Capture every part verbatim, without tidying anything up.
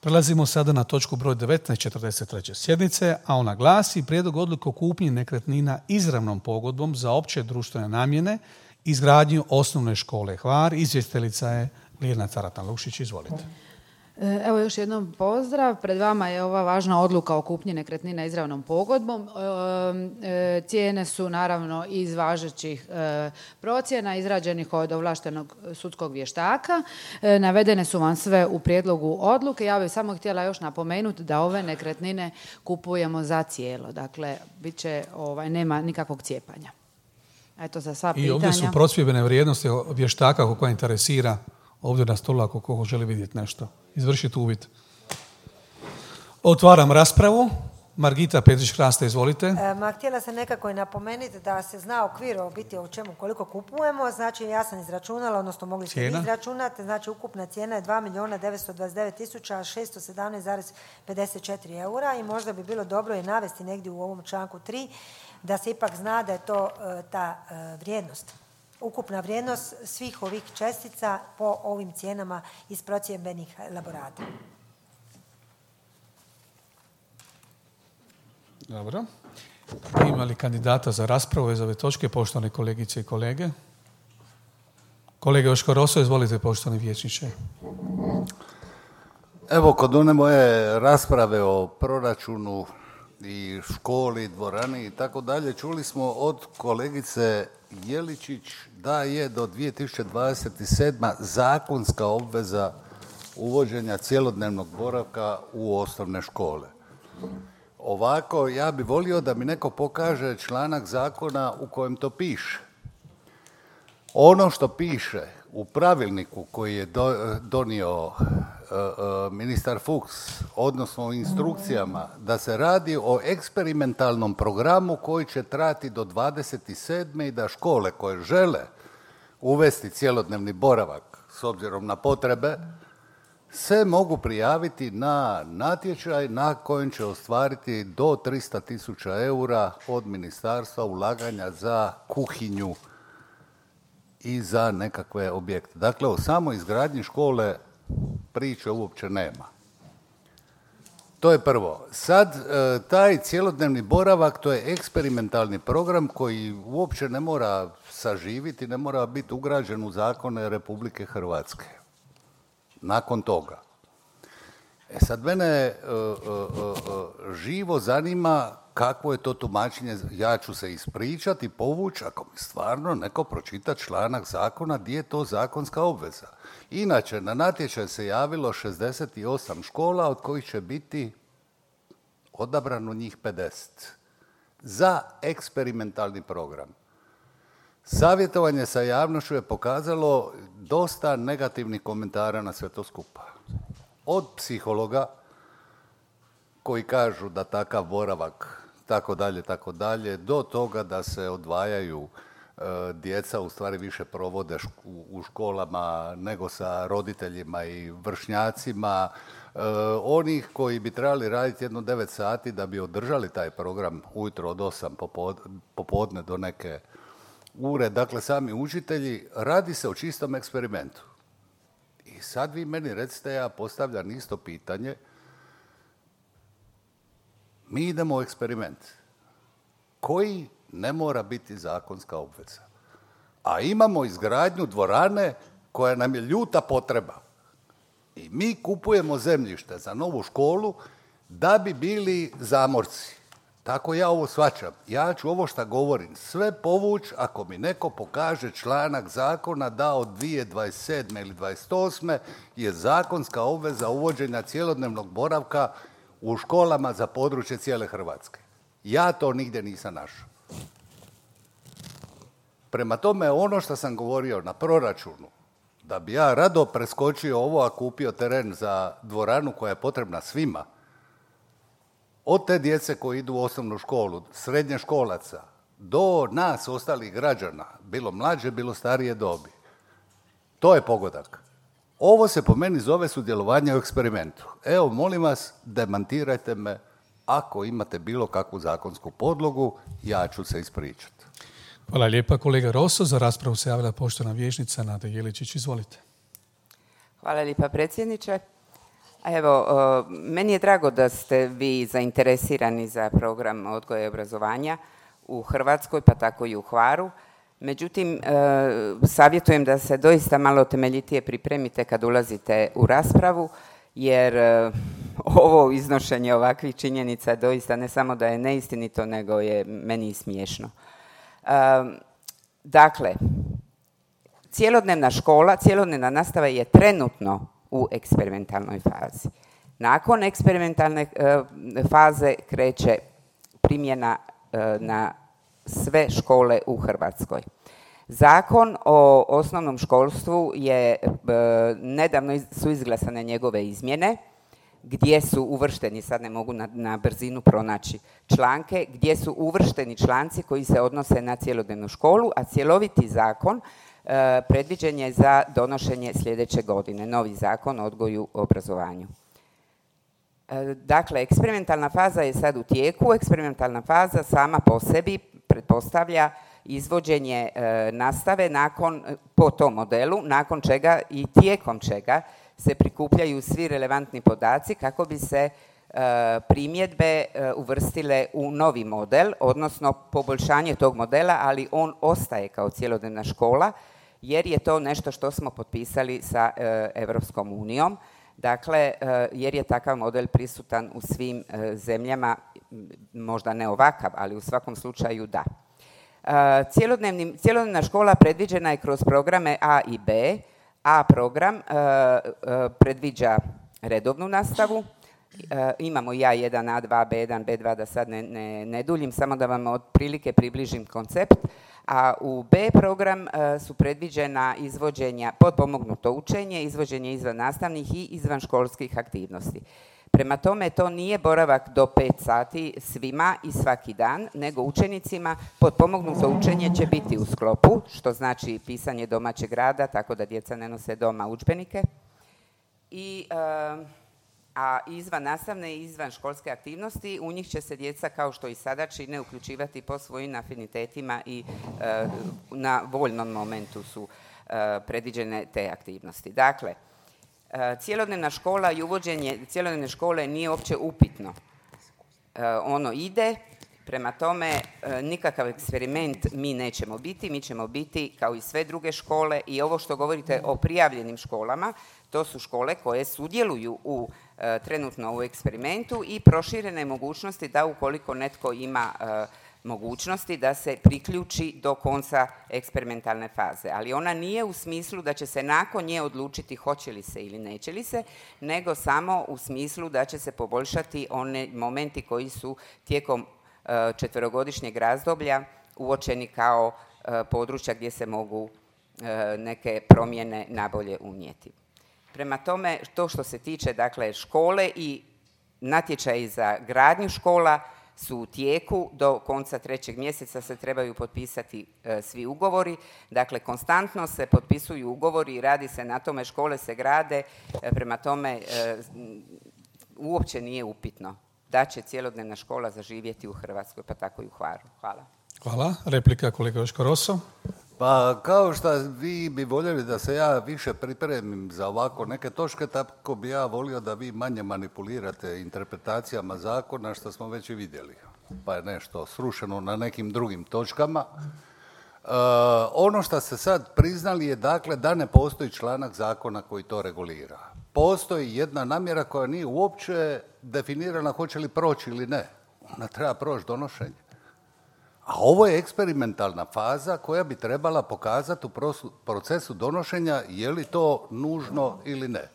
Prelazimo sada na točku broj devetnaest četrdeset treće sjednice, a ona glasi prijedlog odluke o kupnji nekretnina izravnom pogodbom za opće društvene namjene, izgradnju osnovne škole Hvar. Izvjestiteljica je Ljiljana Caratan-Lukšić. Izvolite. Evo još jednom pozdrav. Pred vama je ova važna odluka o kupnji nekretnina izravnom pogodbom. E, cijene su naravno iz važećih e, procjena izrađenih od ovlaštenog sudskog vještaka. E, navedene su vam sve u prijedlogu odluke. Ja bih samo htjela još napomenuti da ove nekretnine kupujemo za cijelo. Dakle, bit će, ovaj, nema nikakvog cijepanja. Eto za sva pitanja. I ovdje su prosvjedbene vrijednosti vještaka ako koja interesira ovdje na stolu ako ko želi vidjeti nešto. Izvršiti uvid. Otvaram raspravu. Margita Petrić-Krasta, izvolite. E, ma, htjela sam nekako i napomenuti da se zna okvir o biti o čemu koliko kupujemo. Znači, ja sam izračunala, odnosno mogli ste izračunati. Znači, ukupna cijena je dva milijuna devetsto dvadeset devet tisuća šesto sedamnaest zarez pedeset četiri eura i možda bi bilo dobro je navesti negdje u ovom članku tri da se ipak zna da je to e, ta e, vrijednost. Ukupna vrijednost svih ovih čestica po ovim cijenama iz procjembenih elaborata. Dobro. Ima li kandidata za raspravu iz ove točke, poštovane kolegice i kolege? Kolega Joško Roso, izvolite, poštovani vijećniče. Evo, kod one moje rasprave o proračunu i školi, dvorani i tako dalje, čuli smo od kolegice Jeličić da je do dvije tisuće dvadeset sedme. zakonska obveza uvođenja cjelodnevnog boravka u osnovne škole. Ovako, ja bi volio da mi neko pokaže članak zakona u kojem to piše. Ono što piše u pravilniku koji je do, donio uh, uh, ministar Fuchs, odnosno u instrukcijama, da se radi o eksperimentalnom programu koji će trajati do dvadeset sedme. i da škole koje žele uvesti cjelodnevni boravak s obzirom na potrebe, se mogu prijaviti na natječaj na kojem će ostvariti do tristo tisuća eura od ministarstva ulaganja za kuhinju i za nekakve objekte. Dakle, o samoj izgradnji škole priče uopće nema. To je prvo. Sad, taj cjelodnevni boravak, to je eksperimentalni program koji uopće ne mora saživiti, ne mora biti ugrađen u zakone Republike Hrvatske. Nakon toga. E sad, mene uh, uh, uh, živo zanima kakvo je to tumačenje. Ja ću se ispričati, povući, ako mi stvarno neko pročita članak zakona gdje je to zakonska obveza. Inače, na natječaj se javilo šezdeset osam škola, od kojih će biti odabrano njih pedeset za eksperimentalni program. Savjetovanje sa javnošću je pokazalo dosta negativnih komentara na sve to skupa. Od psihologa koji kažu da takav boravak tako dalje, tako dalje, do toga da se odvajaju e, djeca, u stvari više provode šk- u školama nego sa roditeljima i vršnjacima, e, onih koji bi trebali raditi jedno devet sati da bi održali taj program ujutro od osam popod, popodne do neke ure, dakle sami učitelji, radi se o čistom eksperimentu. I sad vi meni recite, ja postavljam isto pitanje, mi idemo u eksperiment koji ne mora biti zakonska obveza. A imamo izgradnju dvorane koja nam je ljuta potreba. I mi kupujemo zemljište za novu školu da bi bili zamorci. Tako ja ovo shvaćam. Ja ću ovo što govorim sve povući ako mi neko pokaže članak zakona da od dvije tisuće dvadeset sedme. ili dvadeset osme. je zakonska obveza uvođenja cjelodnevnog boravka u školama za područje cijele Hrvatske. Ja to nigdje nisam našao. Prema tome, ono što sam govorio na proračunu, da bi ja rado preskočio ovo, a kupio teren za dvoranu koja je potrebna svima, od te djece koji idu u osnovnu školu, srednje školaca, do nas ostalih građana, bilo mlađe, bilo starije dobi. To je pogodak. Ovo se po meni zove sudjelovanje u eksperimentu. Evo, molim vas, demantirajte me ako imate bilo kakvu zakonsku podlogu, ja ću se ispričati. Hvala lijepa, kolega Roso. Za raspravu se javila poštovana vijećnica Nada Jeličić. Izvolite. Hvala lijepa, predsjedniče. Evo, meni je drago da ste vi zainteresirani za program odgoja i obrazovanja u Hrvatskoj, pa tako i u Hvaru. Međutim, savjetujem da se doista malo temeljitije pripremite kad ulazite u raspravu, jer ovo iznošenje ovakvih činjenica doista ne samo da je neistinito, nego je meni i smiješno. Dakle, cjelodnevna škola, cjelodnevna nastava je trenutno u eksperimentalnoj fazi. Nakon eksperimentalne faze kreće primjena na sve škole u Hrvatskoj. Zakon o osnovnom školstvu je, nedavno su izglasane njegove izmjene, gdje su uvršteni, sad ne mogu na, na brzinu pronaći članke, gdje su uvršteni članci koji se odnose na cjelodnevnu školu, a cjeloviti zakon e, predviđen je za donošenje sljedeće godine, novi zakon o odgoju i obrazovanju. E, dakle, eksperimentalna faza je sad u tijeku. Eksperimentalna faza sama po sebi pretpostavlja izvođenje e, nastave nakon, po tom modelu, nakon čega i tijekom čega se prikupljaju svi relevantni podaci kako bi se e, primjedbe e, uvrstile u novi model, odnosno poboljšanje tog modela, ali on ostaje kao cjelodnevna škola, jer je to nešto što smo potpisali sa e, Europskom unijom. Dakle, e, jer je takav model prisutan u svim e, zemljama, možda ne ovakav, ali u svakom slučaju da. E, cjelodnevna škola predviđena je kroz programe A i B. A program e, e, predviđa redovnu nastavu, e, imamo i A jedan, A dva, B jedan, B dva, da sad ne, ne, ne duljim, samo da vam otprilike približim koncept, a u B program e, su predviđena izvođenja, potpomognuto učenje, izvođenje izvan nastavnih i izvanškolskih aktivnosti. Prema tome, to nije boravak do pet sati svima i svaki dan, nego učenicima potpomognuto učenje će biti u sklopu, što znači pisanje domaćeg rada, tako da djeca ne nose doma udžbenike. I, a izvan nastavne i izvan školske aktivnosti, u njih će se djeca, kao što i sada čine, uključivati po svojim afinitetima i na voljnom momentu su predviđene te aktivnosti. Dakle, cjelodnevna škola i uvođenje cjelodnevne škole nije uopće upitno. Ono ide, prema tome nikakav eksperiment mi nećemo biti, mi ćemo biti kao i sve druge škole i ovo što govorite o prijavljenim školama, to su škole koje sudjeluju u, trenutno u eksperimentu i proširene mogućnosti da ukoliko netko ima mogućnosti da se priključi do konca eksperimentalne faze. Ali ona nije u smislu da će se nakon nje odlučiti hoće li se ili neće li se, nego samo u smislu da će se poboljšati one momenti koji su tijekom četverogodišnjeg razdoblja uočeni kao područja gdje se mogu neke promjene nabolje unijeti. Prema tome, to što se tiče dakle, škole i natječaji za gradnju škola su u tijeku, do konca trećeg mjeseca se trebaju potpisati e, svi ugovori, dakle konstantno se potpisuju ugovori i radi se na tome, škole se grade, e, prema tome e, uopće nije upitno da će cjelodnevna škola zaživjeti u Hrvatskoj, pa tako i u Hvaru. Hvala. Hvala. Replika kolega Joško Roso. Pa kao što vi bi voljeli da se ja više pripremim za ovako neke točke, tako bi ja volio da vi manje manipulirate interpretacijama zakona, što smo već i vidjeli. Pa je nešto srušeno na nekim drugim točkama. E, ono što ste sad priznali je dakle da ne postoji članak zakona koji to regulira. Postoji jedna namjera koja nije uopće definirana hoće li proći ili ne. Ona treba proći donošenje. A ovo je eksperimentalna faza koja bi trebala pokazati u procesu donošenja je li to nužno ili ne.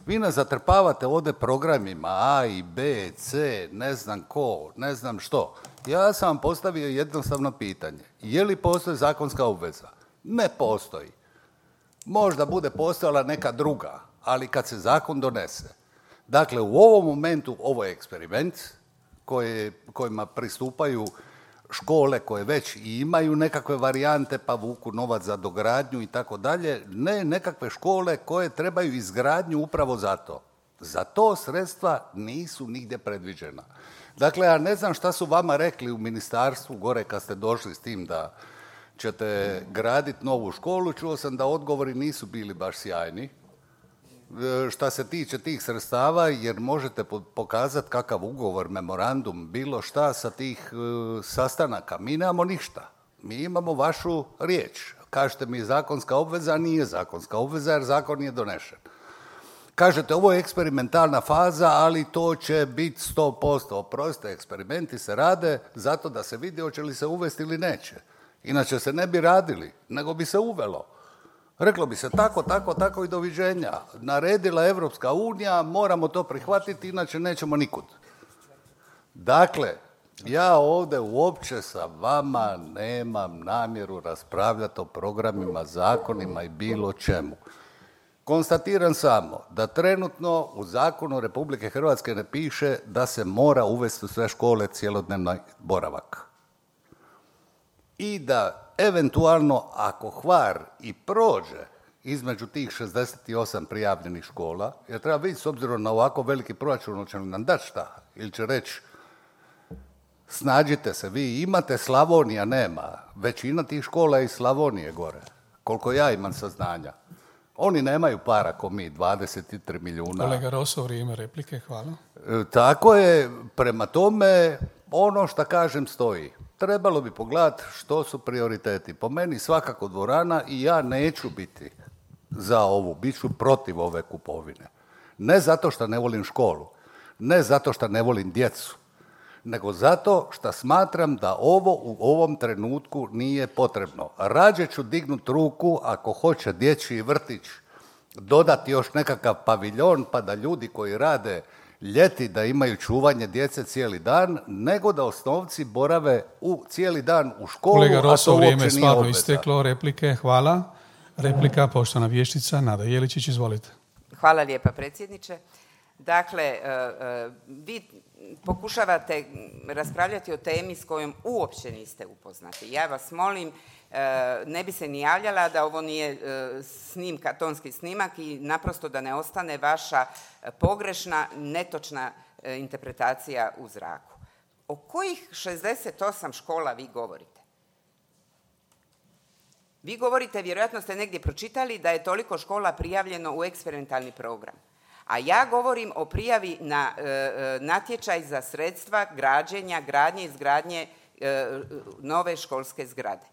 Vi nas zatrpavate ovdje programima A i B, C, ne znam ko, ne znam što. Ja sam vam postavio jednostavno pitanje. Je li postoji zakonska obveza? Ne postoji. Možda bude postojala neka druga, ali kad se zakon donese. Dakle, u ovom momentu ovo je eksperiment koje, kojima pristupaju škole koje već imaju nekakve varijante pa vuku novac za dogradnju i tako dalje, ne nekakve škole koje trebaju izgradnju upravo za to. Za to sredstva nisu nigdje predviđena. Dakle, ja ne znam šta su vama rekli u ministarstvu gore kad ste došli s tim da ćete graditi novu školu. Čuo sam da odgovori nisu bili baš sjajni. šta se tiče tih sredstava, jer možete pokazati kakav ugovor, memorandum, bilo šta sa tih uh, sastanaka. Mi nemamo ništa. Mi imamo vašu riječ. Kažete mi zakonska obveza, nije zakonska obveza jer zakon nije donešen. Kažete ovo je eksperimentalna faza, ali to će biti sto posto. Oprostite, eksperimenti se rade zato da se vidi hoće li se uvesti ili neće. Inače se ne bi radili, nego bi se uvelo. Reklo bi se tako, tako, tako i doviđenja. Naredila Evropska unija, moramo to prihvatiti, inače nećemo nikud. Dakle, ja ovdje uopće sa vama nemam namjeru raspravljati o programima, zakonima i bilo čemu. Konstatiram samo da trenutno u zakonu Republike Hrvatske ne piše da se mora uvesti u sve škole cjelodnevni boravak. I da eventualno ako Hvar i prođe između tih šezdeset osam prijavljenih škola, jer treba vidjeti s obzirom na ovako veliki proračun, hoće li nam dati šta? Ili će reći snađite se, vi imate, Slavonija nema. Većina tih škola je iz Slavonije gore, koliko ja imam saznanja. Oni nemaju para ko mi, dvadeset tri milijuna. Kolega Roso, vrijeme replike, hvala. E, tako je, prema tome, ono što kažem stoji. Trebalo bi pogledati što su prioriteti. Po meni svakako dvorana i ja neću biti za ovu, bit ću protiv ove kupovine. Ne zato što ne volim školu, ne zato što ne volim djecu, nego zato što smatram da ovo u ovom trenutku nije potrebno. Rađe ću dignut ruku ako hoće dječji vrtić dodati još nekakav paviljon pa da ljudi koji rade ljeti da imaju čuvanje djece cijeli dan, nego da osnovci borave u cijeli dan u školu, Kolega Roso, a to uopće vrijeme nije stvarno obveza. isteklo. Replike, hvala. Replika, poštovana vještica Nada Jeličić, izvolite. Hvala lijepa, predsjedniče. Dakle, vi pokušavate raspravljati o temi s kojom uopće niste upoznati. Ja vas molim, ne bi se ni javljala da ovo nije snimka, tonski snimak i naprosto da ne ostane vaša pogrešna, netočna interpretacija u zraku. O kojih šezdeset osam škola vi govorite? Vi govorite, vjerojatno ste negdje pročitali da je toliko škola prijavljeno u eksperimentalni program. A ja govorim o prijavi na e, natječaj za sredstva građenja, gradnje i izgradnje e, nove školske zgrade,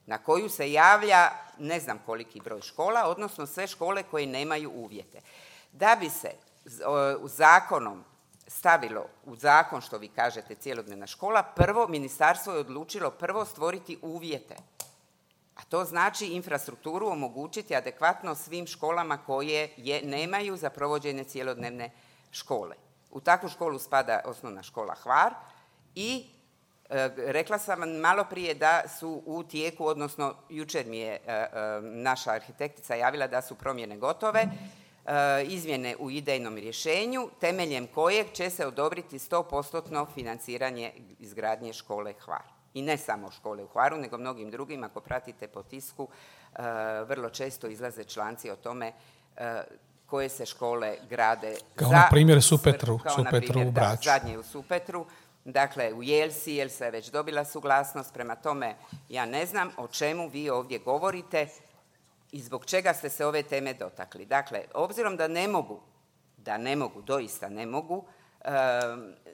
na koju se javlja ne znam koliki broj škola, odnosno sve škole koje nemaju uvjete. Da bi se o, zakonom stavilo u zakon, što vi kažete, cjelodnevna škola, prvo ministarstvo je odlučilo prvo stvoriti uvjete. A to znači infrastrukturu omogućiti adekvatno svim školama koje je, nemaju za provođenje cjelodnevne škole. U takvu školu spada osnovna škola Hvar i e, rekla sam vam malo prije da su u tijeku, odnosno jučer mi je e, e, naša arhitektica javila da su promjene gotove, e, izmjene u idejnom rješenju, temeljem kojeg će se odobriti sto posto financiranje izgradnje škole Hvar. I ne samo škole u Hvaru, nego mnogim drugim. Ako pratite po tisku, uh, vrlo često izlaze članci o tome uh, koje se škole grade. Kao za, na primjer Supetru, kao Supetru na primjer, u Braču. Da, zadnje u Supetru, dakle u Jelsi, Jelsa je već dobila suglasnost, prema tome ja ne znam o čemu vi ovdje govorite i zbog čega ste se ove teme dotakli. Dakle, obzirom da ne mogu, da ne mogu, doista ne mogu, uh,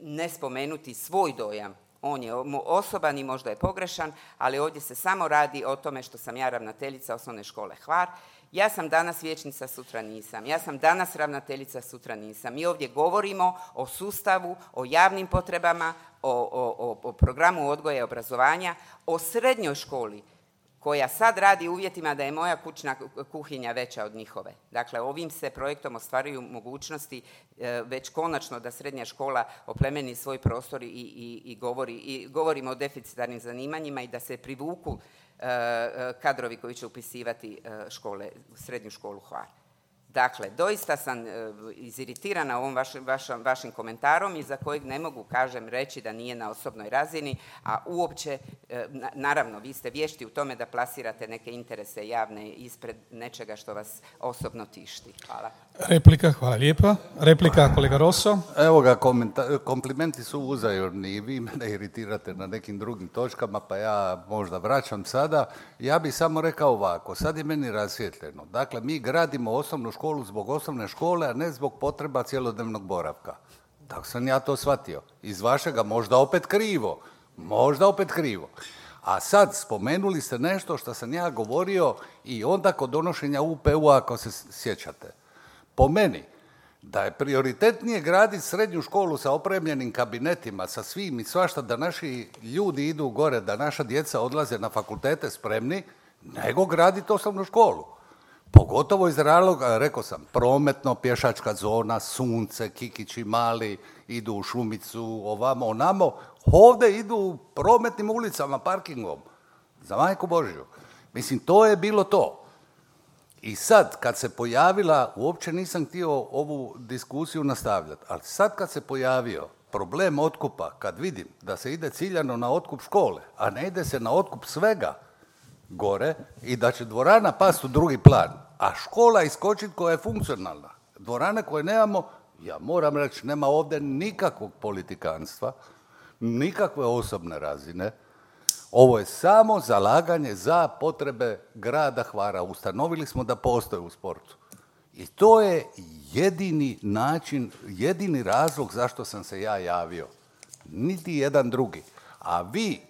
ne spomenuti svoj dojam. On je osoban i možda je pogrešan, ali ovdje se samo radi o tome što sam ja ravnateljica osnovne škole Hvar. Ja sam danas vijećnica, sutra nisam. Ja sam danas ravnateljica, sutra nisam. Mi ovdje govorimo o sustavu, o javnim potrebama, o, o, o programu odgoja i obrazovanja, o srednjoj školi koja sad radi u uvjetima da je moja kućna kuhinja veća od njihove. Dakle, ovim se projektom ostvaruju mogućnosti e, već konačno da srednja škola oplemeni svoj prostor i, i, i, govori, i govorimo o deficitarnim zanimanjima i da se privuku e, kadrovi koji će upisivati e, škole, srednju školu Hvar. Dakle, doista sam e, iziritirana ovom vaš, vaš, vašim komentarom i za kojeg ne mogu, kažem, reći da nije na osobnoj razini, a uopće, e, na, naravno, vi ste vješti u tome da plasirate neke interese javne ispred nečega što vas osobno tišti. Hvala. Replika, hvala lijepa. Replika, kolega Rosso. Evo ga, komenta- komplimenti su uzajamni i vi mene iritirate na nekim drugim točkama, pa ja možda vraćam sada. Ja bih samo rekao ovako, sad je meni rasvjetljeno. Dakle, mi gradimo osnovnu školu zbog osnovne škole, a ne zbog potreba cjelodnevnog boravka. Tako sam ja to shvatio. Iz vašega možda opet krivo. Možda opet krivo. A sad spomenuli ste nešto što sam ja govorio i onda kod donošenja U P U-a, ako se sjećate. Po meni, da je prioritetnije graditi srednju školu sa opremljenim kabinetima, sa svim i svašta, da naši ljudi idu gore, da naša djeca odlaze na fakultete spremni, nego graditi osnovnu školu. Pogotovo iz razloga, rekao sam, prometno, pješačka zona, sunce, kikići mali, idu u šumicu, ovamo, onamo. Ovdje idu prometnim ulicama, parkingom. Za majku Božju. Mislim, to je bilo to. I sad, kad se pojavila, uopće nisam htio ovu diskusiju nastavljati, ali sad kad se pojavio problem otkupa, kad vidim da se ide ciljano na otkup škole, a ne ide se na otkup svega gore i da će dvorana pasti u drugi plan, a škola iskočiti koja je funkcionalna. Dvorane koje nemamo, ja moram reći, nema ovdje nikakvog politikanstva, nikakve osobne razine. Ovo je samo zalaganje za potrebe grada Hvara. Ustanovili smo da postoje u sportu. I to je jedini način, jedini razlog zašto sam se ja javio. Niti jedan drugi. A vi,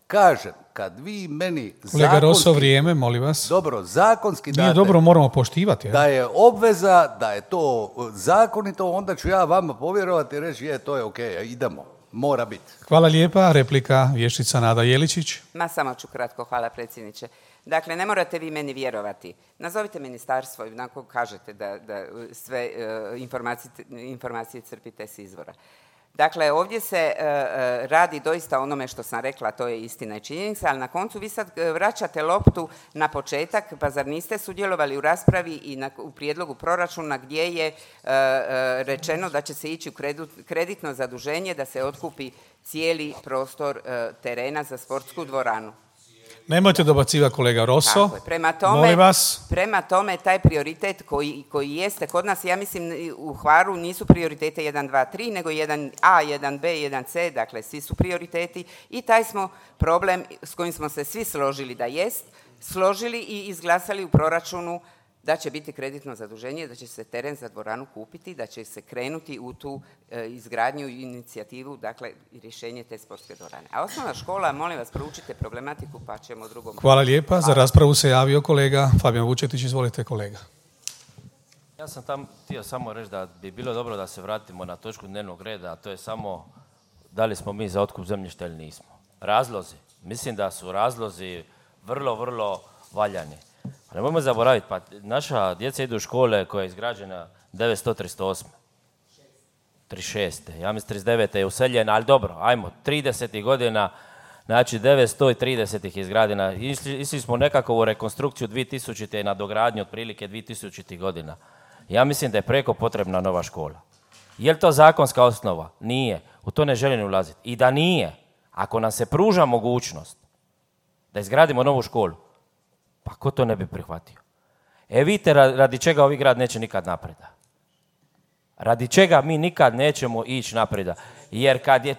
kažem, kad vi meni Kolega zakonski... Rosso, vrijeme, molim vas. Dobro, zakonski date... Nije dobro, moramo poštivati. Da je obveza, da je to zakonito, onda ću ja vama povjerovati i reći, je, to je okej, okay, idemo. Mora biti. Hvala lijepa. Replika, vještica Nada Jeličić. Ma samo ću kratko, hvala predsjedniče. Dakle, ne morate vi meni vjerovati. Nazovite ministarstvo i onako kažete da, da sve uh, informacije, informacije crpite s izvora. Dakle, ovdje se uh, radi doista onome što sam rekla, to je istina i činjenica, ali na koncu vi sad vraćate loptu na početak, pa zar niste sudjelovali u raspravi i na, u prijedlogu proračuna gdje je uh, uh, rečeno da će se ići u kredit, kreditno zaduženje da se otkupi cijeli prostor uh, terena za sportsku dvoranu. Nemojte dobacivati, kolega Rosso. Prema tome, molim vas. Prema tome, taj prioritet koji, koji jeste kod nas, ja mislim u Hvaru nisu prioritete jedan, dva, tri, nego jedan A, jedan B, jedan C, dakle svi su prioriteti i taj smo problem s kojim smo se svi složili da jest, složili i izglasali u proračunu da će biti kreditno zaduženje, da će se teren za dvoranu kupiti, da će se krenuti u tu e, izgradnju i inicijativu, dakle i rješenje te sportske dvorane. A osnovna škola, molim vas, proučite problematiku pa ćemo drugom... Hvala lijepa. Za raspravu se javio kolega Fabijan Vučetić. Izvolite, kolega. Ja sam tam htio samo reći da bi bilo dobro da se vratimo na točku dnevnog reda, a to je samo da li smo mi za otkup zemljišta ili nismo. Razlozi. Mislim da su razlozi vrlo, vrlo valjani. Pa nemojmo zaboraviti, pa naša djeca idu u škole koja je izgrađena devetsto trideset osme. trideset šeste. Ja mislim trideset devete je useljena, ali dobro, ajmo, tridesetih godina, znači devetsto trideset ih je izgrađena. Išli, išli smo nekako u rekonstrukciju dvije tisućite i na dogradnju otprilike dvije tisućitih godina. Ja mislim da je preko potrebna nova škola. Je li to zakonska osnova? Nije. U to ne želim ulaziti. I da nije, ako nam se pruža mogućnost da izgradimo novu školu, pa ko to ne bi prihvatio? E vidite radi čega ovi grad neće nikad napreda. Radi čega mi nikad nećemo ići napreda. Jer kad je,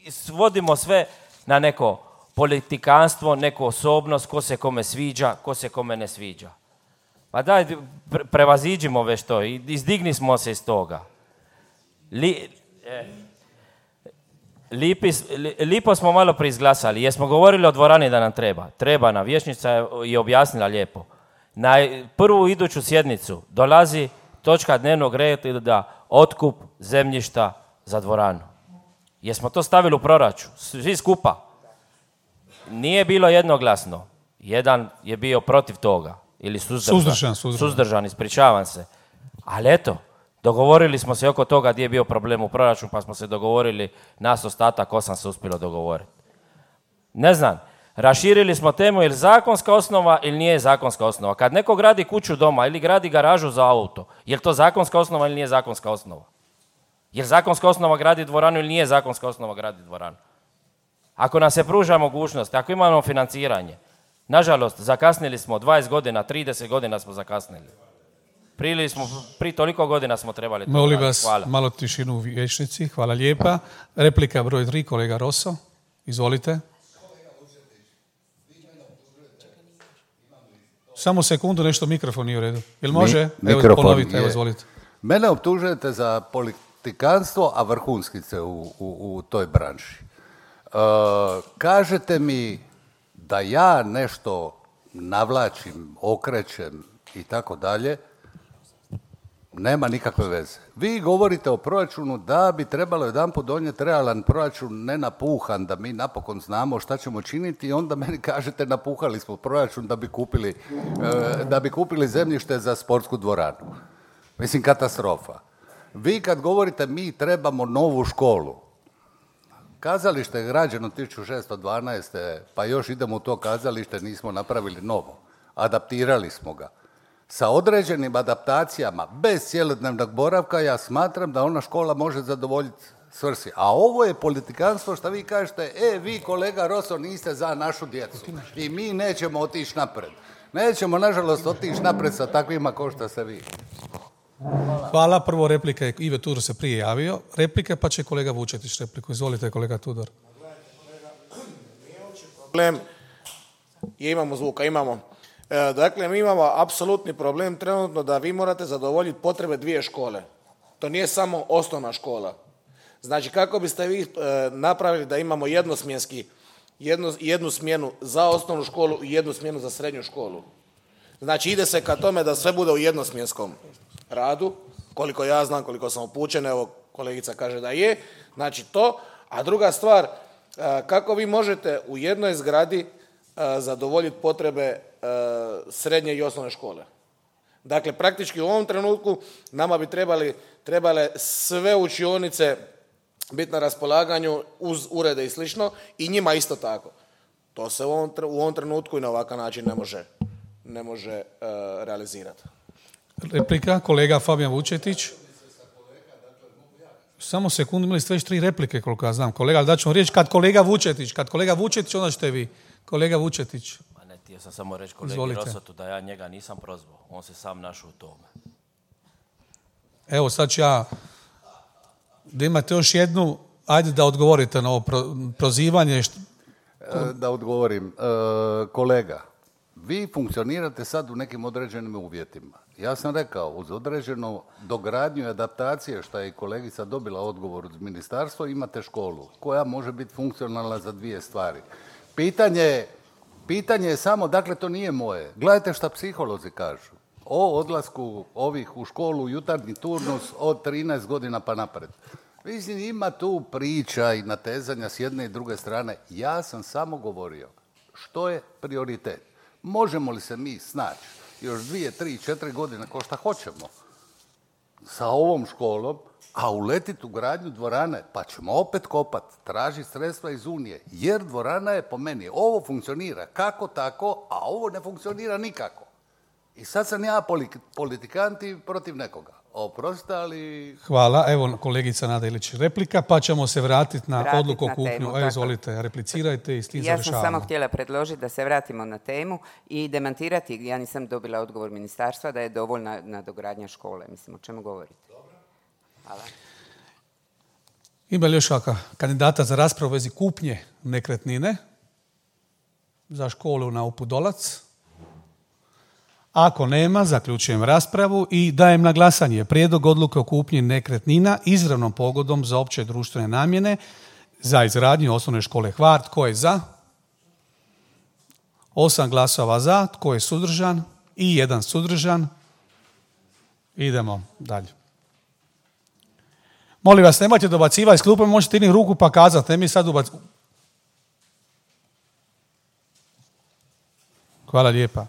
svodimo sve na neko politikanstvo, neku osobnost, ko se kome sviđa, ko se kome ne sviđa. Pa daj, pre, prevaziđimo već to i izdigni smo se iz toga. Li, eh, lipi, li, lipo smo malo preizglasali, jer smo govorili o dvorani da nam treba. Treba nam, vijećnica je objasnila lijepo. Na prvu iduću sjednicu dolazi točka dnevnog reda otkup zemljišta za dvoranu. Jesmo to stavili u proračun, svi skupa. Nije bilo jednoglasno. Jedan je bio protiv toga. Ili suzdržan. Suzdržan, suzdržan. Suzdržan, ispričavam se. Ali eto, dogovorili smo se oko toga gdje je bio problem u proračunu, pa smo se dogovorili, nas ostatak osam se uspjelo dogovoriti. Ne znam, raširili smo temu, je li zakonska osnova ili nije zakonska osnova. Kad neko gradi kuću doma ili gradi garažu za auto, je li to zakonska osnova ili nije zakonska osnova? Je li zakonska osnova gradi dvoranu ili nije zakonska osnova gradi dvoranu? Ako nam se pruža mogućnost, ako imamo financiranje, nažalost, zakasnili smo dvadeset godina, trideset godina smo zakasnili. Prije smo, prije toliko godina smo trebali to Molim raditi. vas, Hvala. malo tišinu u vijećnici. Hvala lijepa. Replika broj tri, kolega Roso. Izvolite. Samo sekundu, nešto mikrofon nije u redu. Jel može? Mi, evo, ponovite, evo, izvolite. Mene optužujete za politikanstvo, a vrhunski ste u, u, u toj branši. E, kažete mi da ja nešto navlačim, okrećem i tako dalje, nema nikakve veze. Vi govorite o proračunu da bi trebalo jedanput donijeti realan proračun, ne napuhan, da mi napokon znamo šta ćemo činiti i onda meni kažete napuhali smo proračun da bi kupili, e, da bi kupili zemljište za sportsku dvoranu. Mislim, katastrofa. Vi kad govorite mi trebamo novu školu, kazalište je građeno tisuću šesto dvanaeste. pa još idemo u to kazalište, nismo napravili novo. Adaptirali smo ga. Sa određenim adaptacijama, bez cjelodnevnog boravka, ja smatram da ona škola može zadovoljiti svrsi. A ovo je politikanstvo što vi kažete, e, vi kolega Roso niste za našu djecu i mi nećemo otići napred. Nećemo, nažalost, otići napred sa takvima kao što ste vi. Hvala. Hvala. Prvo replika je, Ive Tudor se prije javio. Replika, pa će kolega Vučetić repliku. Izvolite, kolega Tudor. Problem je, imamo zvuka, imamo. E, dakle, mi imamo apsolutni problem trenutno da vi morate zadovoljiti potrebe dvije škole. To nije samo osnovna škola. Znači, kako biste vi e, napravili da imamo jednosmjenski, jednu, jednu smjenu za osnovnu školu i jednu smjenu za srednju školu? Znači, ide se ka tome da sve bude u jednosmjenskom radu, koliko ja znam, koliko sam upućen, evo kolegica kaže da je, znači to. A druga stvar, kako vi možete u jednoj zgradi zadovoljiti potrebe srednje i osnovne škole? Dakle, praktički u ovom trenutku nama bi trebali, trebale sve učionice biti na raspolaganju uz urede i slično i njima isto tako. To se u ovom, u ovom trenutku i na ovakav način ne može, ne može uh, realizirati. Replika, kolega Fabijan Vučetić. Samo sekundu, imali ste već tri replike, koliko ja znam. Kolega, ali daću vam riječ kad kolega Vučetić. Kad kolega Vučetić, onda ćete vi. Kolega Vučetić. Ma ne, htio sam samo reći kolegi Izvolite. Rosotu da ja njega nisam prozvao. On se sam našao u tome. Evo, sad ću ja... Da imate još jednu... Ajde da odgovorite na ovo pro, prozivanje. Što... Da odgovorim. E, kolega, vi funkcionirate sad u nekim određenim uvjetima. Ja sam rekao, uz određenu dogradnju i adaptacije, što je i kolegica dobila odgovor od ministarstva, imate školu koja može biti funkcionalna za dvije stvari. Pitanje, pitanje je samo, dakle, to nije moje. Gledajte šta psiholozi kažu o odlasku ovih u školu, jutarnji turnus od trinaest godina pa napred. Mislim, ima tu priča i natezanja s jedne i druge strane. Ja sam samo govorio što je prioritet. Možemo li se mi snaći još dvije, tri, četiri godine, ko šta hoćemo, sa ovom školom, a uletiti u gradnju dvorane, pa ćemo opet kopat, tražiti sredstva iz Unije, jer dvorana je po meni, ovo funkcionira kako tako, a ovo ne funkcionira nikako. I sad sam ja politikant i protiv nekoga. Oprostite, ali... Hvala. Evo kolegica Nada Ilić replika, pa ćemo se vratiti na Vratit odluku o na kupnju. temu, Evo, izvolite, replicirajte i s tim ja završavamo. sam samo htjela predložiti da se vratimo na temu i demantirati, ja nisam dobila odgovor ministarstva da je dovoljna nadogradnja škole. Mislim, o čemu govorite? Hvala. Ima li još kakva kandidata za raspravu u vezi kupnje nekretnine za školu na Upudolac? Ako nema, zaključujem raspravu i dajem na glasanje prijedlog odluke o kupnji nekretnina izravnom pogodom za opće društvene namjene za izgradnju osnovne škole Hvar. Tko je za? Osam glasova za. Tko je suzdržan? I jedan suzdržan. Idemo dalje. Molim vas, nemojte dobacivati iz klupe, možete jednih ruku pa kazati, ne mi sad ubaciti. Hvala lijepa.